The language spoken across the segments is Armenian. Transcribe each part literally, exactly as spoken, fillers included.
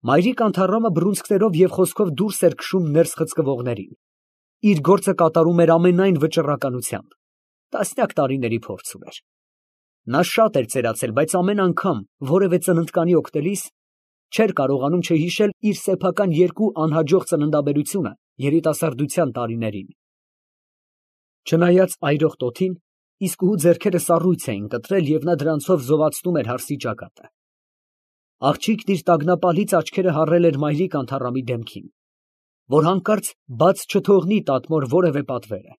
Մայրիկ Անթառամը բռունցքներով և խոսքով դուրս էր քշում ներս խցկվողներին, իր գործը կատարում էր ամենայն վճռականությամբ, տասնյակ տարիների փորձ ուներ։ Նա շատ էր ծերացել, բայց ամեն անգամ որևէ ծննդկանի օգնելիս չէր կարողանում չհիշել իր սեփական երկու անհաջող ծննդաբերությունը երիտասարդության տարիներին։ Չնայած այրող տոթին, իսկուհու ձեռքերը սառույց էին կտրել և նա դրանցով զովացնում էր հարսի ճակատը։ Աղջիկն իր տագնապալից աչքերը հառել էր մայրիկ Անթառամի դեմքին, որ հանկարծ բաց չթողնի տատմոր որևէ պատվերը։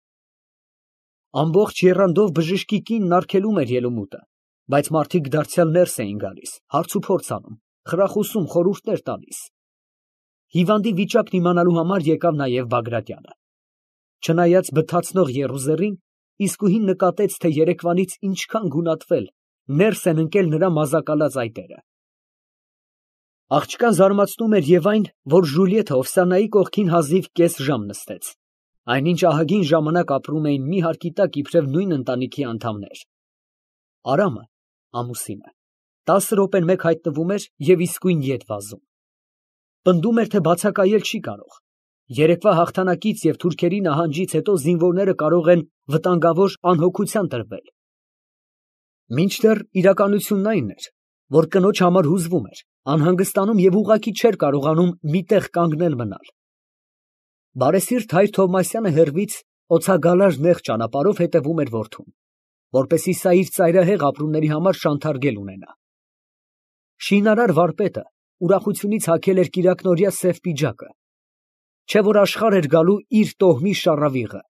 Ամբողջ եռանդով բժշկի կինն արգելում էր ելումուտը, բայց մարդիկ դարձյալ ներս էին գալիս, հարցուփորձ անում, խրախուսում, խորհուրդներ տալիս։ Հիվանդի վիճակն իմանալու համար եկավ նաև Բագրատյանը։ Չնայած բթացնող եռուզեռին, իսկուհին նկատեց, թե երեկվանից ինչքան գունատվել, ներս են ընկել նրա մազակալած այտերը։ Աղջկան զարմացնում էր և այն, որ Ժուլիեթը Օվսանայի կողքին հազիվ կես ժամ նստեց, այնինչ ահագին ժամանակ ապրում էին մի հարկի տակ իբրև նույն ընտանիքի անդամներ։ Արամը (ամուսինը) տասը րոպեն մեկ հայտնվում էր և իսկույն ետ վազում։ Պնդում էր, թե բացակայել չի կարող։ Երեկվա հաղթանակից և թուրքերի նահանջից հետո զինվորները կարող են վտանգավոր անհոգության տրվել։ Մինչդեռ իրականությունն այն էր, որ կնոջ համար հուզվում էր, անհանգստանում և ուղղակի չէր կարողանում մի տեղ կանգնել մնալ։ Բարեսիրտ հայր Թովմասյանը հեռվից օցագալար նեղ ճանապարհով հետևում էր որդուն, որպեսզի սա իր ծայրահեղ ապրումների համար շանթարգել ունենա։ Շինարար վարպետը ուրախությունից հագել էր կիրակնօրյա սև պիջակը, չէ՞ որ աշխարհ էր գալու իր տոհմի շառավիղը։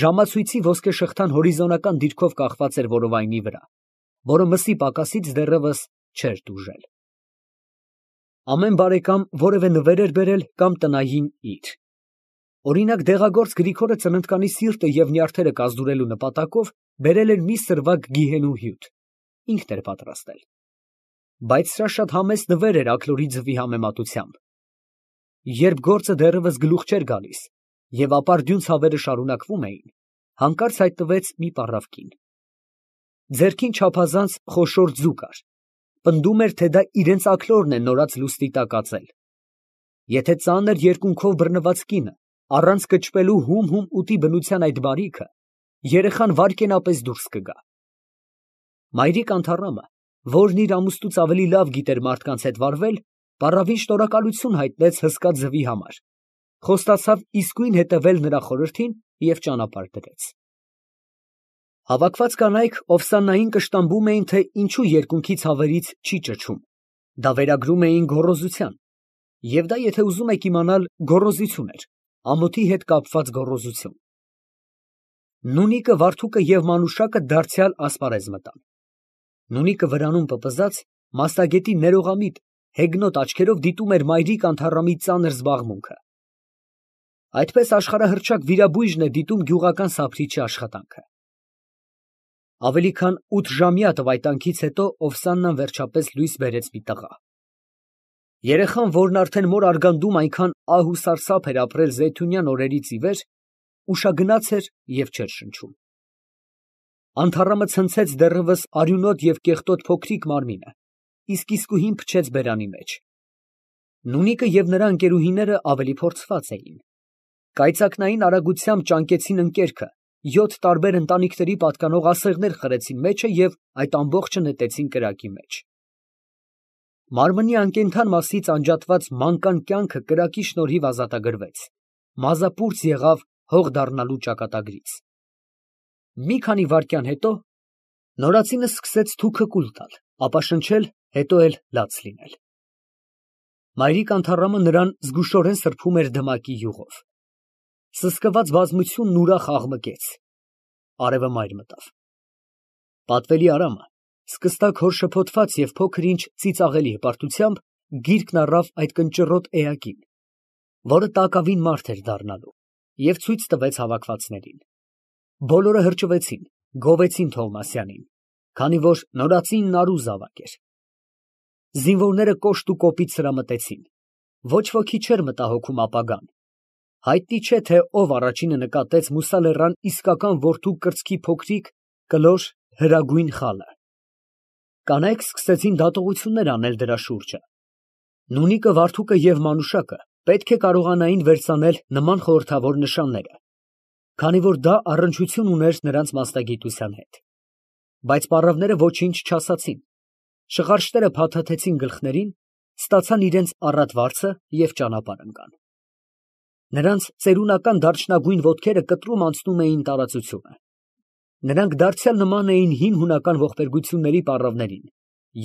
Ժամացույցի ոսկե շղթան հորիզոնական դիրքով կախված էր որովայնի վրա, որը մսի պակասից դեռևս չէր տուժել։ Ամեն բարեկամ որևէ նվեր էր բերել կամ տնային իր։ Օրինակ, դեղագործ Գրիգորը ծննդկանի սիրտը և նյարդերը կազդուրելու նպատակով բերել էր մի սրվակ գիհենու հյութ, ինքն էր պատրաստել։ Բայց սրա շատ համեստ նվեր էր աքլորի ձվի համեմատությամբ։ Երբ գործը դեռևս գլուխ չէր գալիս և ապարդյուն ցավերը շարունակվում էին, հանկարծ հայտնվեց մի պառավ կին։ Ձեռքին չափազանց խոշոր ձու կար, պնդում էր, թե դա իրենց աքլորն է նորաց լուստի տակ ածել։ Եթե ծանր երկունքով բռնված կինը առանց կճվելու հում֊հում ուտի բնության այդ բարիքը, երեխան վայրկենապես դուրս կգա։ Մայրիկ Անթառամը, որն իր ամուսնուց ավելի լավ գիտեր մարդկանց հետ վարվել, պառավին շնորհակալություն հայտնեց հսկա ձվի համար, խոստացավ իսկույն հետևել նրա խորհրդին և ճանապարհ դրեց։ Հավաքված կանայք Օվսաննային կշտամբում էին, թե ինչու երկունքի ցավերից չի ճչում, դա վերագրում էին գոռոզության, և դա, եթե ուզում եք իմանալ, գոռոզություն էր, ամոթի հետ կապված գոռոզություն։ Նունիկը, Վարդուկը և Մանուշակը դարձյալ ասպարեզ մտան։ Նունիկը վրանում պպզած, մասնագետի ներողամիտ, հեգնոտ աչքերով դիտում էր մայրիկ Անթառամի ծանր զբաղմունքը։ Այդպես աշխարհահռչակ վիրաբույժն է դիտում գյուղական սափրիչի աշխատանքը։ Ավելի քան ութժամյա տվայտանքից հետո Օվսաննան վերջապես լույս բերեց մի տղա։ Երեխան, որն արդեն մոր արգանդում այնքան ահ ու սարսափ էր ապրել զեյթունյան օրերից ի վեր, ուշագնաց էր և չէր շնչում։ Անթառամը ցնցեց դեռևս արյունոտ և կեղտոտ փոքրիկ մարմինը, իսկ իսկուհին փչեց բերանի մեջ։ Նունիկը և նրա ընկերուհիները ավելի փորձված էին։ Կայծակնային արագությամբ ճանկեցին ընկերքը, յոթ տարբեր ընտանիքների պատկանող ասեղներ խրեցին մեջը և այդ ամբողջը նետեցին կրակի մեջ։ Մարմնի անկենդան մասից անջատված մանկան կյանքը կրակի շնորհիվ ազատագրվեց, մազապուրծ եղավ հող դառնալու ճակատագրից։ Մի քանի վայրկյան հետո նորածինը սկսեց թուքը կուլ տալ, ապա շնչել, հետո էլ լաց լինել։ Մայրիկ Անթառամը նրան զգուշորեն սրբում էր դմակի յուղով։ Սսկված բազմությունն ուրախ աղմկեց։ Արևը մայր մտավ։ Պատվելի Արամը, սկստակ հորշփոթված և փոքր ինչ ծիծաղելի հպարտությամբ, գիրկն առավ այդ կնճռոտ էակին, որը տակավին մարդ էր դառնալու, և ցույց տվեց հավաքվածներին։ Բոլորը հրճվեցին, գովեցին Թովմասյանին, քանի որ նորածինն առու զավակ էր։ Զինվորները կոշտ ու կոպիտ սրամտեցին։ Ոչ ոքի չէր մտահոգում ապագան։ Հայտնի չէ, թե ով առաջինը նկատեց Մուսա լեռան իսկական որդու կրծքի փոքրիկ, կլոր, հրագույն խալը։ Կանայք սկսեցին դատողություններ անել դրա շուրջը։ Նունիկը, Վարդուկը և Մանուշակը պետք է կարողանային վերցնել նման խորհրդավոր նշանները, քանի որ դա առնչություն ուներ նրանց մասնագիտության հետ, բայց պառավները ոչինչ չասացին, շղարշտերը փաթաթեցին գլխներին, ստացան իրենց առատ վարձը և ճանապարհ ընկան։ Նրանց ծերունական դարչնագույն ոտքերը կտրում անցնում էին տարածությունը։ Նրանք դարձյալ նման էին հին հունական ողբերգությունների պառավներին,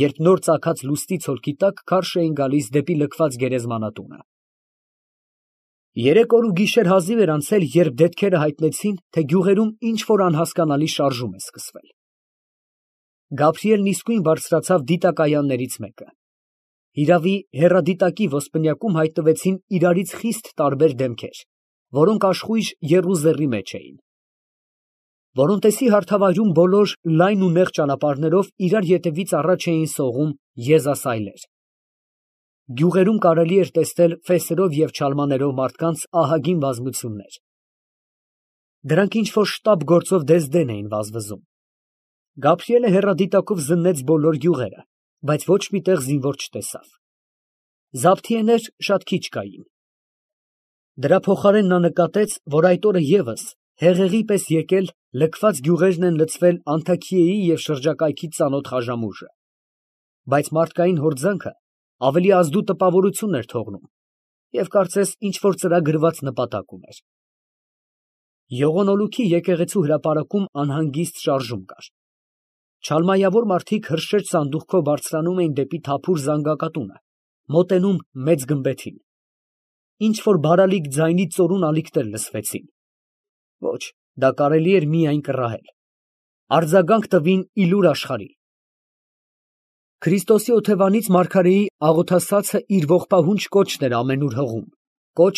երբ նոր ծագած լուսնի ցոլքի տակ քարշ էին գալիս դեպի լքված գերեզմանատունը։ Երեք օր ու գիշեր հազիվ էր անցել, երբ դետքերը հայտնեցին, թե գյուղերում ինչ֊որ անհասկանալի շարժում է սկսվել։ Գաբրիելն իսկույն բարձրացավ դիտակայաններից մեկը։ Հիրավի, հեռադիտակի ոսպնյակում հայտնվեցին իրարից խիստ տարբեր դեմքեր, որոնք աշխույժ եռուզեռի մեջ էին։ Որոնտեսի հարթավայրում բոլոր լայն ու նեղ ճանապարհներով իրար ետևից առաջ էին սողում եզասայլեր։ Գյուղերում կարելի էր տեսնել ֆեսերով և չալմաներով մարդկանց ահագին բազմություններ։ Դրանք ինչ֊որ շտապ գործով դեզդեն էին վազվզում։ Գաբրիելը հեռադիտակով զննեց բոլոր գյուղերը, բայց ոչ մի տեղ զինվոր չտեսավ։ Զաբթիեներ շատ քիչ կային։ Դրա փոխարեն նա նկատեց, որ այդ օրը ևս հեղեղի պես եկել լքված գյուղերն են լցվել Անթաքիեի և շրջակայքի ծանոթ խաժամուժը, բայց մարդկային հորձանքը ավելի ազդու տպավորություն էր թողնում և կարծես ինչ֊որ ծրագրված նպատակ ուներ։ Եղոնոլուքի եկեղեցու հրապարակում անհանգիստ շարժում կար։ Չալմայավոր մարդիկ հրշեջ սանդուղքով բարձրանում էին դեպի թափուր զանգակատունը, մոտենում մեծ գմբեթին։ Ինչ֊որ բարալիկ ձայնի ծորուն ալիքներ լսվեցին։ Ոչ, դա կարելի էր միայն կռահել։ Արձագանք տվին Իլուր աշխարհի։ Քրիստոսի օթևանից մարգարեի աղոթասացը իր ողբահունչ կոչն էր ամենուր հղում, կոչ,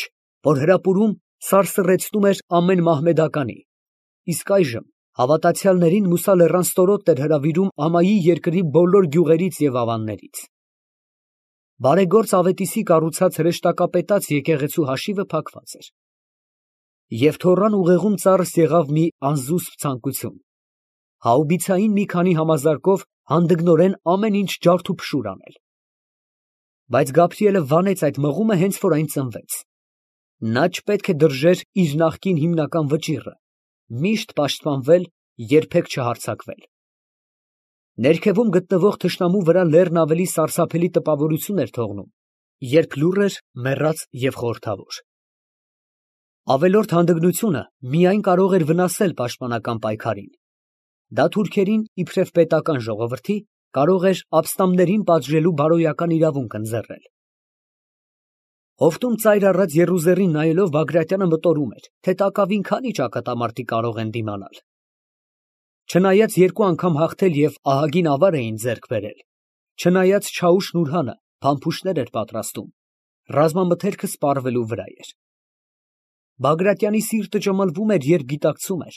որ հրապուրում սարսռեցնում էր ամեն մահմեդականի, իսկ այժմ հավատացյալներին մուսալեռան ստորոթ էր հրավիրում ամայի երկրի բոլոր գյուղերից և ավաններից։ Բարեգործ Ավետիսի կառուցած հրեշտակապետած եկեղեցու հաշիվը փակված էր։ Եվ թոռան ուղեղում ծառս եղավ մի անզուսպ ցանկություն՝ հաուբիցային մի քանի համազարկով հանդգնորեն ամեն ինչ ջարդուփշուր անել։ Բայց Գաբրիելը վանեց այդ մղումը հենց որ այն ծնվեց։ Նա չպետք է դրժեր իր նախկին հիմնական վճիռը՝ միշտ պաշտպանվել, երբեք չհարձակվել։ Ներքևում գտնվող թշնամու վրա լեռն ավելի սարսափելի տպավորություն էր թողնում, երբ լուռ էր, մեռած և խորհրդավոր։ Ավելորդ հանդգնությունը միայն կարող էր վնասել պաշտպանական պայքարին։ Դա թուրքերին, իբրև պետական ժողովրդի, կարող էր ապստամբներին պատժելու բարոյական իրավունք ընձեռել։ Հովտում ծայր առած եռուզեռին նայելով Բագրատյանը մտորում էր, թե տակավին քանի ճակատամարտի կարող են դիմանալ։ Չնայած երկու անգամ հաղթել և ահագին ավար էին ձեռք բերել, չնայած Չաուշ Նուրհանը փամփուշտներ էր պատրաստում, ռազմամթերքը սպառվելու վրա էր։ Բագրատյանի սիրտը ճմլվում էր, երբ գիտակցում էր,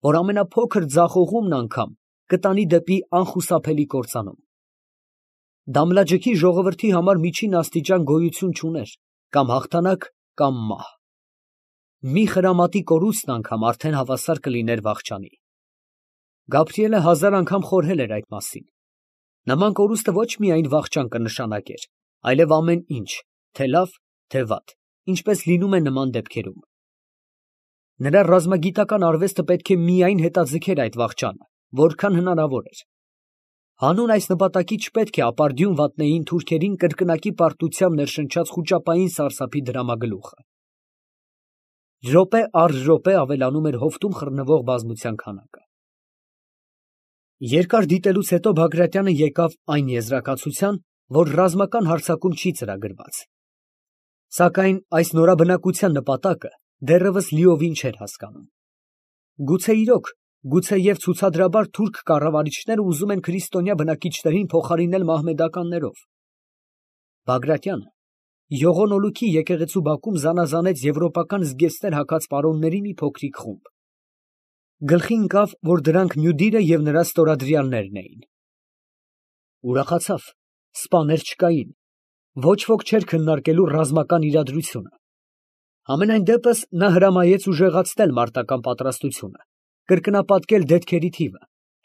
որ ամենափոքր ձախողումն անգամ կտանի դեպի անխուսափելի կործանում։ Դամլաջքի ժողովրդի համար միջին աստիճան գոյություն չուներ, կամ հաղթանակ, կամ մահ։ Մի խրամատի կորուստն անգամ արդեն հավասար կլիներ վախճանի։ Գաբրիելը հազար անգամ խորհել էր այդ մասին։ Նման կորուստը ոչ միայն վախճան կնշանակեր, այլև ամեն ինչ, թե լավ, թե վատ, ինչպես լինում է նման դեպքերում։ Նրա ռազմագիտական արվեստը պետք է միայն հետաձգեր այդ վախճանը, որքան հնարավոր էր։ Հանուն այս նպատակի չպետք է ապարդյուն վատնեին թուրքերին կրկնակի պարտությամբ ներշնչած խուճապային սարսափի դրամագլուխը։ Րոպե առ րոպե ավելանում էր հովտում խռնվող բազմության քանակը։ Երկար դիտելուց հետո Բագրատյանը եկավ այն եզրակացության, որ ռազմական հարձակում չի ծրագրված։ Սակայն այս նորաբնակության նպատակը դեռևս լիովին չէր հասկանում։ Գուցե իրոք, գուցեև ցուցադրաբար թուրք կառավարիչները ուզում են քրիստոնյա բնակիչներին փոխարինել մահմեդականներով։ Բագրատյանը Եղոնոլուքի եկեղեցու բակում զանազանեց եվրոպական զգեստներ հագած պարոնների մի փոքրիկ խումբ։ Գլխի ընկավ, որ դրանք Մյուդիրը և նրա ստորադրյալներն էին։ Ուրախացավ, սպաներ չկային, ոչ ոք չէր քննարկելու ռազմական իրադրությունը։ Համենայն դեպս նա հրամայեց ուժեղացնել մարտական պատրաստությունը, կրկնապատկել դետքերի թիվը,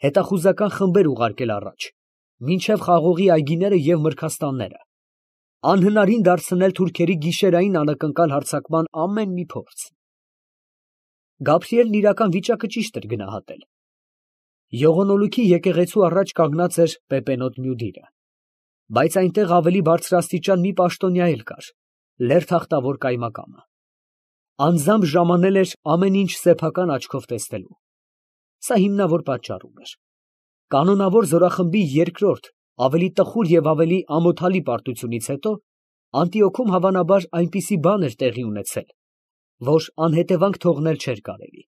հետախուզական խմբեր ուղարկել առաջ, մինչև խաղողի այգիները և մրգաստանները, անհնարին դարձնել թուրքերի գիշերային անակնկալ հարձակման ամեն մի փորձ։ Գաբրիելն իրական վիճակը ճիշտ էր գնահատել։ Եղոնոլուքի եկեղեցու առաջ կանգնած էր պեպենոտ մյուդիրը, բայց այնտեղ ավելի բարձրաստիճան մի պաշտոնյա էլ կար, լեռ-թախտավոր կայմակամը։ Անձամբ ժամանել էր ամեն ինչ սեփական աչքով տեսնելու։ Սա հիմնավոր պատճառում էր։ Կանոնավոր զորախմբի երկրորդ, ավելի տխուր և ավելի ամոթալի պարտությունից հետո Անտիոքում հավանաբար այնպիսի բան էր տեղի ունեցել, որ անհետևանք թողնել չէր կարելի։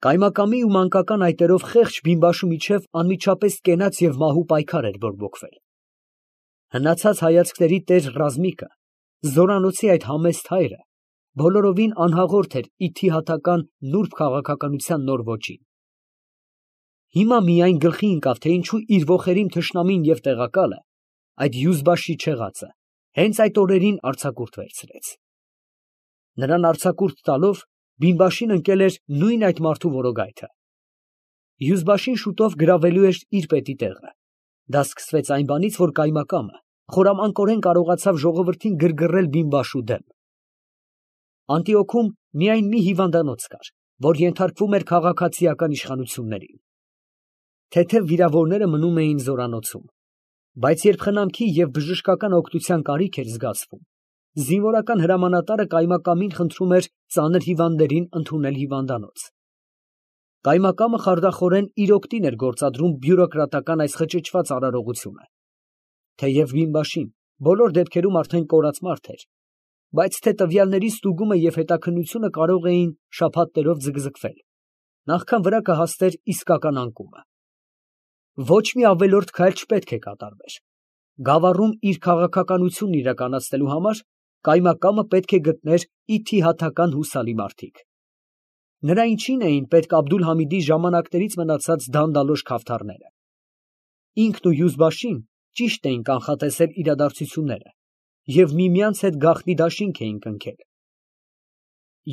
Կայմակամի ու մանկական այտերով խեղճ բիմբաշու միջև անմիջապես կենաց և մահու պայքար էր բորբոքվել։ Հնացած հայացքների տեր Ռազմիկը, զորանոցի այդ համեստ հայրը, բոլորովին անհաղորդ էր իթիհաթական նուրբ քաղաքականության նոր ոճին։ Հիմա միայն գլխի ընկավ, թե ինչու իր ոխերիմ թշնամին և տեղակալը, այդ Յուզբաշի չեղածը, հենց այդ օրերին արձակուրդ վերցրեց։ Նրան արձակուրդ տալով, բիմբաշին ընկել էր նույն այդ մարդու որոգայթը։ Յուզբաշին շուտով գրավելու էր իր պետի տեղը։ Դա սկսվեց այն բանից, որ կայմակամը խորամանկորեն կարողացավ ժողովրդին գրգռել բիմբաշու դեմ։ Անտիոքում միայն մի հիվանդանոց կար, որ ենթարկվում էր քաղաքացիական իշխանություններին։ Թեթև վիրավորները մնում էին զորանոցում, բայց երբ խնամքի և բժշկական օգնության կարիք էր զգացվում, զինվորական հրամանատարը կայմակամին խնդրում էր ծանր հիվանդներին ընդունել հիվանդանոց։ Կայմակամը խարդախորեն իր օգտին էր գործադրում բյուրոկրատական այս խճճված արարողությունը։ Թեև բիմբաշին բոլոր դեպքերում արդեն կորած մարդ էր, բայց թե տվյալների ստուգումը և հետաքննությունը կարող էին շաբաթներով ձգձգվել, նախքան վրա կհասներ իսկական անկումը։ Ոչ մի ավելորդ քայլ չպետք է կատարվեր։ Գավառում իր քաղաքականությունն իրականացնելու համար կայմակամը պետք է գտներ իթիհաթական հուսալի մարդիկ։ Նրա ինչին էին պետք Աբդուլ֊Համիդի ժամանակներից մնացած դանդալոշ քավթարները։ Ինքն ու Յուզբաշին ճիշտ էին կանխատեսել իրադարձությունները և միմյանց հետ գաղտնի դաշինք էին կնքել։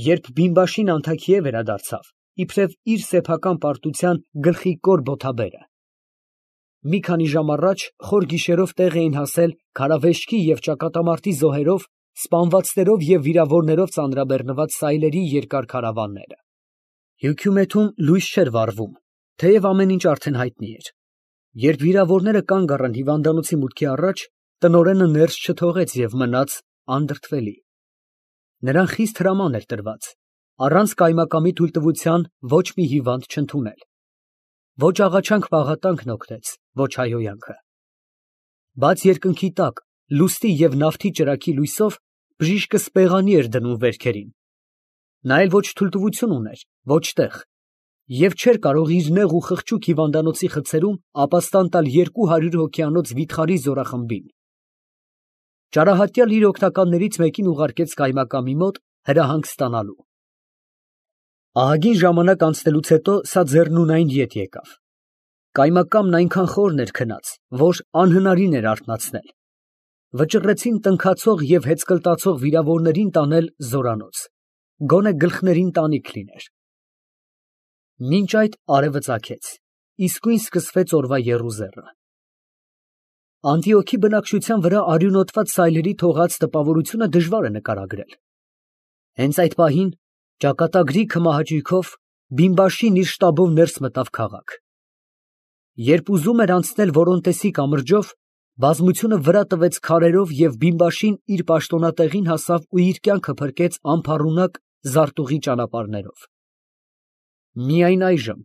Երբ բիմբաշին Անթաքիե վերադարձավ, իբրև իր սեփական պարտության գլխիկոր բոթաբերը, մի քանի ժամ առաջ խոր գիշերով տեղ էին հասել քարավեշքի և ճակատամարտի զոհերով, սպանվածներով և վիրավորներով ծանրաբեռնված սայլերի երկար քարավանները։ Հյությումեթում լույս չէր վառվում, թեև ամեն ինչ արդեն հայտնի էր։ Երբ վիրավորները կանգ առան հիվանդանոցի մուտքի առաջ, տնօրենը ներս չթողեց և մնաց անդրդվելի։ Նրան խիստ հրաման էր տրված առանց կայմակամի թույլտվության ոչ մի հիվանդ չընդունել։ Ոչ աղաչանք֊պաղատանքն օգնեց, ոչ հայհոյանքը։ Բաց երկնքի տակ, լուսնի և նավթի ճրագի լույսով, բժիշկը սպեղանի էր դնում վերքերին։ Նա էլ ոչ թույլտվություն ուներ, ոչ տեղ, և չէր կարող իր նեղ ու խղճուկ հիվանդանոցի խցերում ապաստան տալ երկու հարյուր հոգյանոց վիթխարի զորախմբին։ Ճարահատյալ իր օգնականներից մեկին ուղարկեց կայմակամի մոտ հրահանգ ստանալու։ Ահագին ժամանակ անցնելուց հետո սա ձեռնունայն ետ եկավ։ Կայմակամն այնքան խորն էր քնած, որ անհնարին էր արթնացնել։ Վճռեցին տնքացող և հեծկլտացող վիրավորներին տանել զորանոց, գոնե գլխներին տանիք լիներ։ Մինչ այդ արևը ծագեց, իսկույն սկսվեց օրվա եռուզեռը։ Անտիոքի բնակչության վրա արյունոտված սայլերի թողած տպավորությունը դժվար է նկարագրել։ Հենց այդ պահին, ճակատագրի քմահաճույքով, բիմբաշին իր շտաբով ներս մտավ քաղաք։ Երբ ուզում էր անցնել Որոնտեսի կամրջով, բազմությունը վրա տվեց քարերով և բիմբաշին իր պաշտոնատեղին հասավ ու իր կյանքը փրկեց անփառունակ զարտուղի ճանապարհներով։ Միայն այժմ,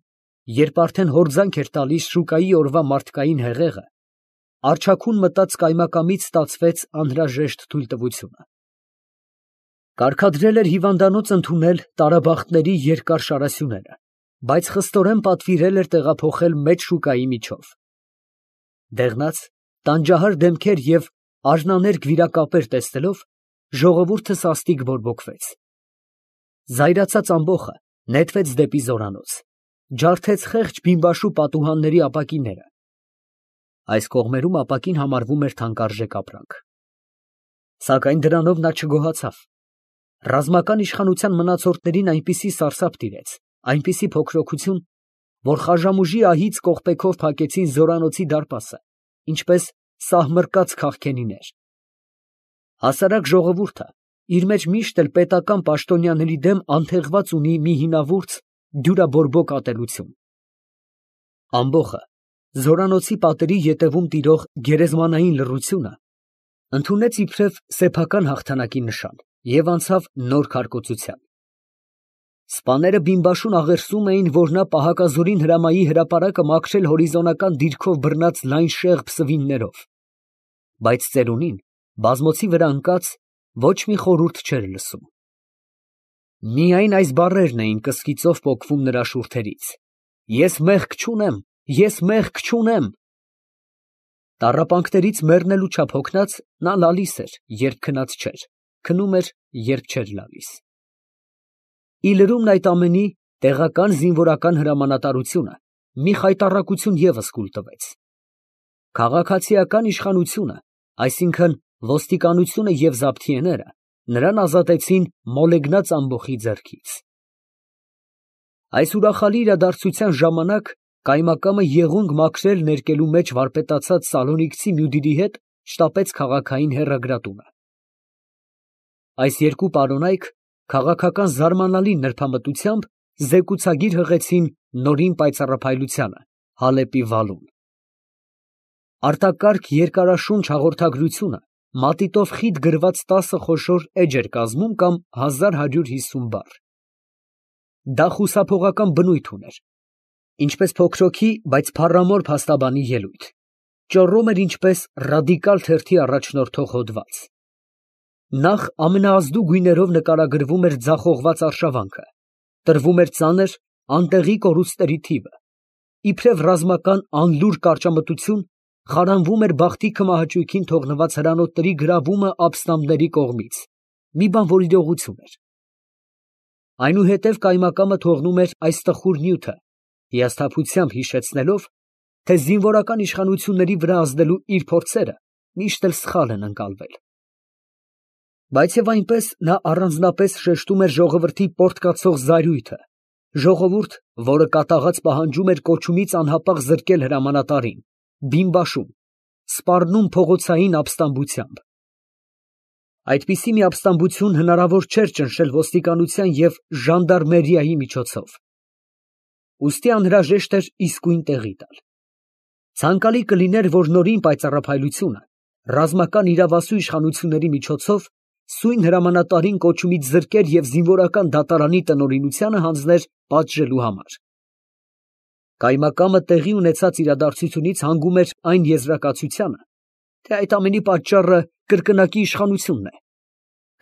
երբ արդեն հորձանք էր տալիս շուկայի օրվա մարդկային հեղեղը, առջաքուն մտած կայմակամից ստացվեց անհրաժեշտ թույլտվությունը։ Կարգադրել էր հիվանդանոց ընդունել տարաբախտների երկար շարասյուները, բայց խստորեն պատվիրել էր տեղափոխել մեծ շուկայի միջով։ Դեղնած, տանջահար դեմքեր և արհնաներկ վիրակապեր տեսնելով, ժողովուրդը սաստիկ բորբոքվեց։ Զայրացած ամբոխը նետվեց դեպի զորանոց, ջարդեց խեղճ բիմբաշու պատուհանների ապակիները։ Այս կողմերում ապակին համարվում էր թանկարժեք ապրանք։ Սակայն դրանով նա չգոհացավ։ Ռազմական իշխանության մնացորդներին այնպիսի սարսափ տիրեց, այնպիսի փոքրոքություն, որ խաժամուժի ահից կողպեքով փակեցին զորանոցի դարպասը, ինչպես սահմռկած քաղքենիներ։ Հասարակ ժողովուրդը իր մեջ միշտ էլ պետական պաշտոնյաների դեմ անթեղված ունի մի հինավուրց, դյուրաբորբոք ատելություն։ Ամբոխը, զորանոցի պատերի ետևում տիրող գերեզմանային լռությունը ընդունեց իբրև սեփական հաղթանակի նշան և անցավ նոր քարկոծության։ Սպաները բիմբաշուն աղերսում էին, որ նա պահակազորին հրամայի հրապարակը մաքրել հորիզոնական դիրքով բռնած լայն շեղբ սվիններով, բայց ծերունին բազմոցի վրա ընկած ոչ մի խորհուրդ չէր լսում։ Միայն այս բառերն էին կսկիծով պոկվում նրա շուրթերից. «Ես մեղք չունեմ, ես մեղք չունեմ»։ Տառապանքներից մեռնելու չափ հոգնած, նա լալիս էր, երբ քնած չէր, քնում էր, երբ չէր լալիս։ Ի լրումն այդ ամենի, տեղական զինվորական հրամանատարությունը մի խայտառակություն ևս կուլ տվեց։ Քաղաքացիական իշխանությունը, այսինքն ոստիկանությունը և զաբթիեները, նրան ազատեցին մոլեգնած ամբոխի ձեռքից։ Այս ուրախալի իրադարձության ժամանակ կայմակամը եղունգ մաքրել ներկելու մեջ վարպետացած սալոնիկցի մյուդիրի հետ շտապեց քաղաքային հեռագրատունը։ Այս երկու պարոնայք քաղաքական զարմանալի նրբամտությամբ զեկուցագիր հղեցին նորին պայծառափայլությանը, Հալեպի վալուն։ Արտակարգ երկարաշունչ հաղորդագրությունը մատիտով խիտ գրված տասը խոշոր էջ էր կազմում կամ հազար հարյուր հիսուն բառ։ Դա խուսափողական բնույթ ուներ, ինչպես փոքրոքի, բայց փառամոր փաստաբանի ելույթ, ճոռում էր ինչպես ռադիկալ թերթի առաջնորդող հոդված։ Նախ ամենաազդու գույներով նկարագրվում էր ձախողված արշավանքը, տրվում էր ծանր, անտեղի կորուստների թիվը, իբրև ռազմական անլուր կարճամտություն խարանվում էր բախտի քմահաճույքին թողնված հրանոթների գրավումը ապստամբների կողմից, մի բան, որ իրողություն էր։ Այնուհետև կայմակամը թողնում էր այս տխուր նյութը, հիասթափությամբ հիշեցնելով, թե զինվորական իշխանությունների վրա ազդելու իր փորձերը միշտ էլ սխալ են ընկալվել։ Բայց և այնպես նա առանձնապես շեշտում էր ժողովրդի պոռթկացող զայրույթը, ժողովուրդ, որը կատաղած պահանջում էր կոչումից անհապաղ զրկել հրամանատարին, բիմբաշում, սպառնում փողոցային ապստամբությամբ։ Այդպիսի մի ապստամբություն հնարավոր չէր ճնշել ոստիկանության և ժանդարմերիայի միջոցով։ Ուստի անհրաժեշտ էր իսկույն տեղի տալ։ Ցանկալի կլիներ, որ նորին պայծառափայլությունը ռազմական իրավասու իշխանությունների միջոցով սույն հրամանատարին կոչումից զրկեր և զինվորական դատարանի տնօրինությանը հանձներ պատժելու համար։ Կայմակամը տեղի ունեցած իրադարձությունից հանգում էր այն եզրակացությանը, թե այդ ամենի պատճառը կրկնակի իշխանությունն է,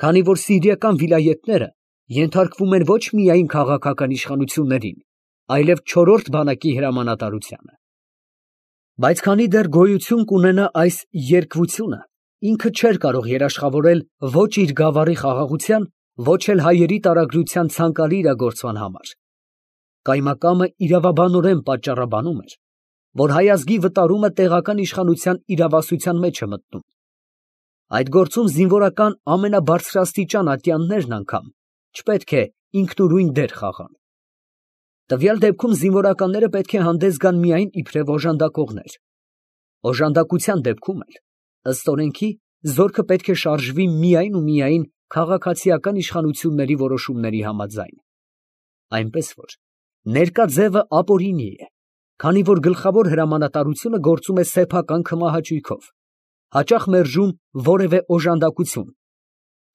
քանի որ սիրիական վիլայեթները ենթարկվում են ոչ միայն քաղաքական իշխանություններին, այլև չորրորդ բանակի հրամանատարությանը։ Բայց քանի դեռ գոյություն կունենա այս երկվությունը, ինքը չէր կարող երաշխավորել ոչ իր գավառի խաղաղության, ոչ էլ հայերի տարագրության ցանկալի իրագործման համար։ Կայմակամը իրավաբանորեն պատճառաբանում էր, որ հայ ազգի վտարումը տեղական իշխանության իրավասության մեջ է մտնում։ Այդ գործում զինվորական ամենաբարձրաստիճան ատյաններն անգամ չպետք է ինքնուրույն դեր խաղան։ Տվյալ դեպքում զինվորականները պետք է հանդես գան միայն իբրև օժանդակողներ։ Օժանդակության դեպքում էլ, ըստ օրենքի, զորքը պետք է շարժվի միայն ու միայն քաղաքացիական իշխանությունների որոշումների համաձայն։ Այնպես որ ներկա ձևը ապօրինի է, քանի որ գլխավոր հրամանատարությունը գործում է սեփական քմահաճույքով, հաճախ մերժում որևէ օժանդակություն,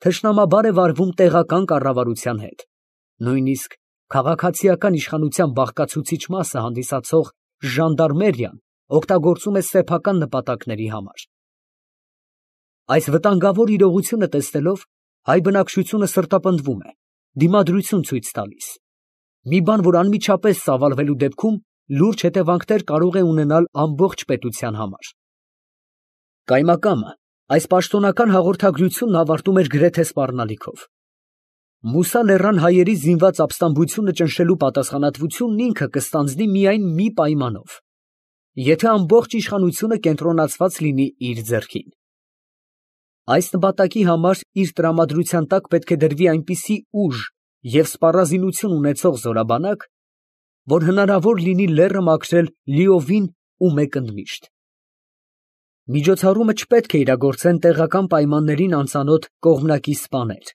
թշնամաբար է վարվում տեղական կառավարության հետ, նույնիսկ քաղաքացիական իշխանության բաղկացուցիչ մասը հանդիսացող ժանդարմերիան օգտագործում է սեփական նպատակների համար։ Այս վտանգավոր իրողությունը տեսնելով, հայ բնակչությունը սրտապնդվում է, դիմադրություն ցույց տալիս, մի բան, որ անմիջապես ծավալվելու դեպքում լուրջ հետևանքներ կարող է ունենալ ամբողջ պետության համար։ Կայմակամը այս պաշտոնական հաղորդագրությունն ավարտում էր գրեթե սպառնալիքով. Մուսա լեռան հայերի զինված ապստամբությունը ճնշելու պատասխանատվությունն ինքը կստանձնի միայն մի պայմանով, եթե ամբողջ իշխանությունը կենտրոնացված լինի իր ձեռքին։ Այս նպատակի համար իր տրամադրության տակ պետք է դրվի այնպիսի ուժ և սպառազինություն ունեցող զորաբանակ, որ հնարավոր լինի լեռը մաքրել լիովին ու մեկընդմիշտ։ Միջոցառումը չպետք է իրագործեն տեղական պայմաններին անծանոթ կողմնակի սպաներ։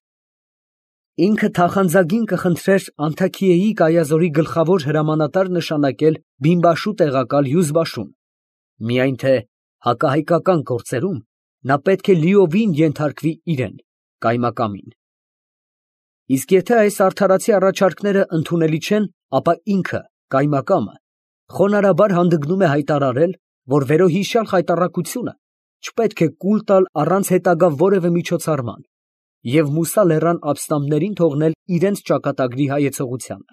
Ինքը թախանձագին կխնդրեր Անթաքիեի կայազորի գլխավոր հրամանատար նշանակել բիմբաշու տեղակալ Յուզբաշուն, միայն թե հակահայկական գործերում նա պետք է լիովին ենթարկվի իրան՝ կայմակամին։ Իսկ եթե այս արդարացի առաջարկները ընդունելի չեն, ապա ինքը՝ կայմակամը, խոնարհաբար հանդգնում է հայտարարել, որ վերոհիշյալ խայտառակությունը չպետք է կուլ տալ առանց հետագա որևէ միջոցառման և Մուսա լեռան ապստամբներին թողնել իրանց ճակատագրի հայեցողությանը։